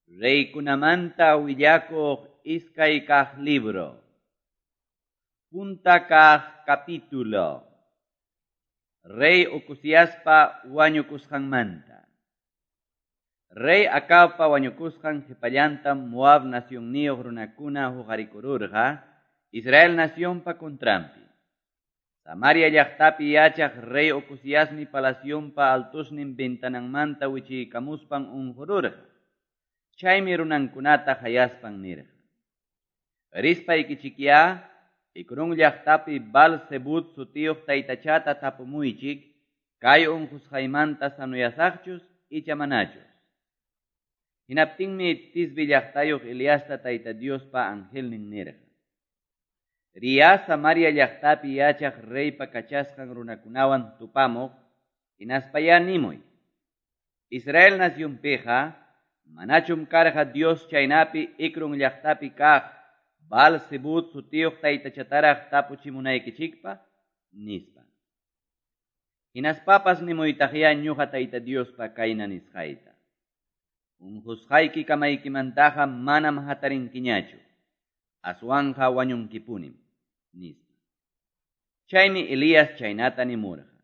Reykunamanta willakuq iskay kaq libro. Punta kaq capítulo. Rey Ocoziaspa wañukusqanmanta. Rey Acabpa wañukusqan qhipallantam Moab nacionniyuq runakuna huqarikururqa Israel nacionpa contranpi. Samaria llaqtapi yachaq rey Ocoziasmi palacionpa altusnin ventananmanta wichiykamuspan unqururqa. Chaymi runankunata hayaspan nirqa. Rispaykichikyá Ecrón llaqtapi Baal-zebub sutiyuq taytachata tapumuychik kay unqusqaymanta sanuyasaqchus icha manachus. Hinaptinmi Tisbe llaqtayuq Eliasta Tayta Diospa angelnin nirqa. Riya Samaria llaqtapi yachaq reypa kachasqan runakunawan tupamuq hinaspayá nimuy. Israel nacionpiqa manachum karqa Dios chaynapi Ecrón llaqtapi kaq Baal-zebub sutiyuq taytachataraq tapuchimunaykichikpaq nispa. Hinaspapas nimuytaqyá ñuqa Tayta Diospa kayna nisqayta. Unqusqayki kamaykimantaqa manam hatarinkiñachu, aswanqa wañunkipunim, nispa. Chaymi Elías chaynata nimurqa.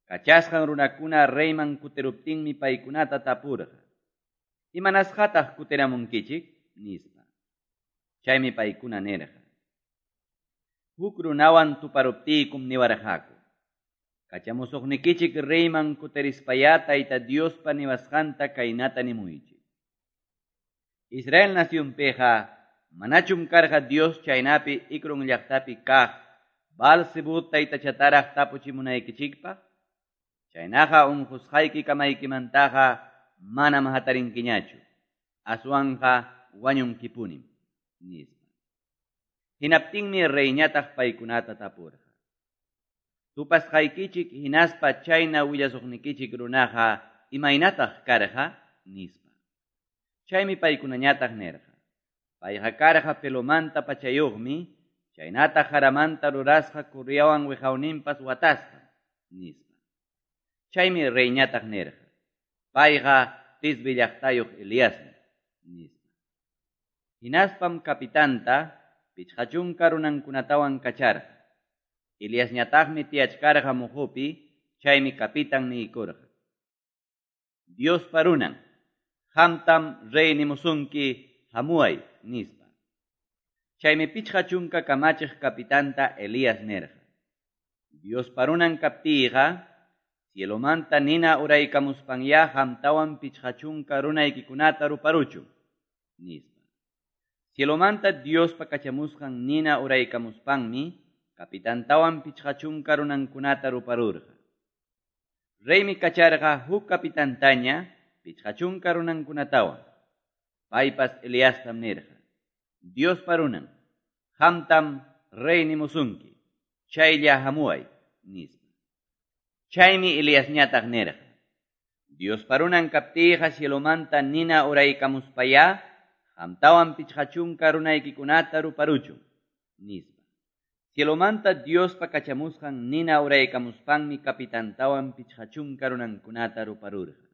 Kachasqan runakuna reyman kutiruptinmi paykunata tapurqa. Imanasqataq kutiramunkichik? Nispa. Chaymi paykuna nirqa. Huk runawan tuparuptiykum niwarqaku. Kachamusuqnikichik reyman kutirispayá Tayta Diospa niwasqanta kaynata nimuychik. Israel nacionpiqa manachum karqa Dios chaynapi Ecrón llaqtapi kaq Baal-zebub taytachataraq tapuchimunaykichikpaq? Chaynaqa unqusqayki kamaykimantaqa manam hatarinkiñachu, aswanqa wañunkipunim, nispa. Hinaptinmi reyñataq paykunata tapurqa. Tupasqaykichik hinaspa chayna willasuqnikichik runaqa imaynataq karqa, nispa. Chaymi paykunañataq nirqa. Payqa karqa pelomanta pachayuqmi, chaynataq jaramanta rurasqa kurriawan wiqawninpas watasqa, nispa. Chaymi reyñataq nirqa. Payqa Tisbe llaqtayuq Eliasmi, nispa. Hinaspam kapitanta pichqa chunka runankunatawan kacharqa. Eliasñataqmi tiyachkarqa muhupi, chaymi kapitan niykurqa. Diospa runan, qamtam rey nimusunki hamuay, nispa. Chaymi pichqa chunka kamachiq kapitanta Elías nirqa. Diospa runan kaptiyqa, cielomanta nina uraykamuspanyá qamtawan pichqa chunka runaykikunata ruparuchun, nispa. Cielomanta Diospa kachamusqan nina uraykamuspanmi kapitantawan pichqa chunka runankunata ruparurqa. Reymi kacharqa huk kapitantaña pichqa chunka runankunatawan. Paypas Eliastam nirqa. Diospa runan, qamtam rey nimusunki, chaylla hamuay, nispa. Chaymi Eliasñataq nirqa. Diospa runan kaptiyqa cielomanta nina uraykamuspayá qamtawan pichqa chunka runaykikunata ruparuchun, nispa. Cielomanta Diospa kachamusqan nina uraykamuspanmi kapitantawan pichqa chunka runankunata ruparurqa.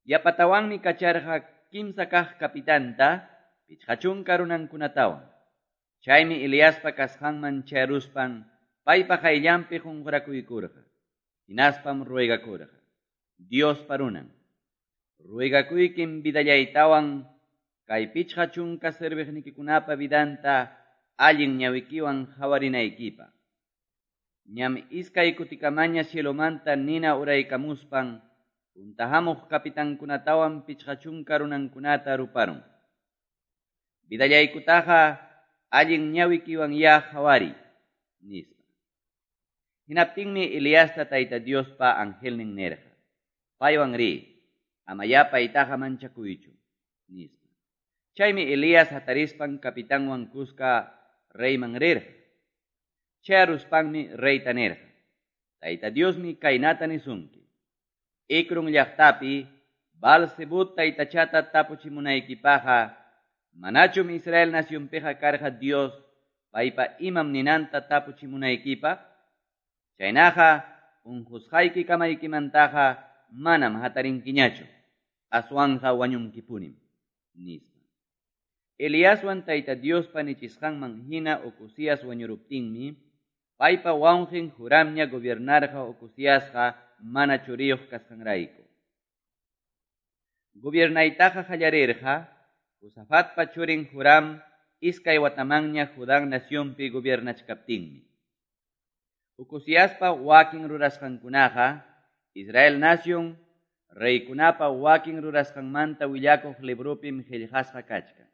Yapatawanmi kacharqa kimsa kaq kapitanta pichqa chunka runankunatawan. Chaymi Eliaspa kasqanman chayaruspan paypa qayllanpi qunqurakuykurqa. Hinaspam ruegakurqa. Diospa runan. Ruegakuykim vidallaytawan kay pichqa chunka serviqnikikunapa vidanta allin ñawikiwan hawarinaykipaq. Ñam iskay kutikamaña cielomanta nina uraykamuspan punta hamuq kapitankunatawan pichqa chunka runankunata ruparun. Vidallaykutaqa allin ñawikiwanyá hawariy, nispa. Hinaptinmi Eliasta Tayta Diospa angelnin nirqa. Paywan riy, amayá paytaqa manchakuychu, nispa. Chaymi Elías hatarispan kapitanwan kuska reyman rirqa. Chayaruspanmi reyta nirqa. Tayta Diosmi kaynata nisunki. Ecrón llaqtapi Baal-zebub taytachata tapuchimunaykipaqqa manachum Israel nacionpiqa karqa Dios paypa imam ninanta tapuchimunaykipaq? Chaynaqa unqusqayki kamaykimantaqa manam hatarinkiñachu, aswanqa wañunkipunim, Nispa. Eliaswan Tayta Diospa nichisqanman hina Ocozías wañuruptinmi, paypa wawqen Joramña gobiernarqa Ocoziasqa mana churiyuq kasqanrayku. Gobiernaytaqa qallarirqa Josafatpa churin Joram 2 watamanña Judá nacionpi gobiernachkaptinmi. Ocoziaspa wakin rurasqankunaqa Israel nación reykunapa wakin rurasqanmanta willakuq libropim qillqasqa kachkan.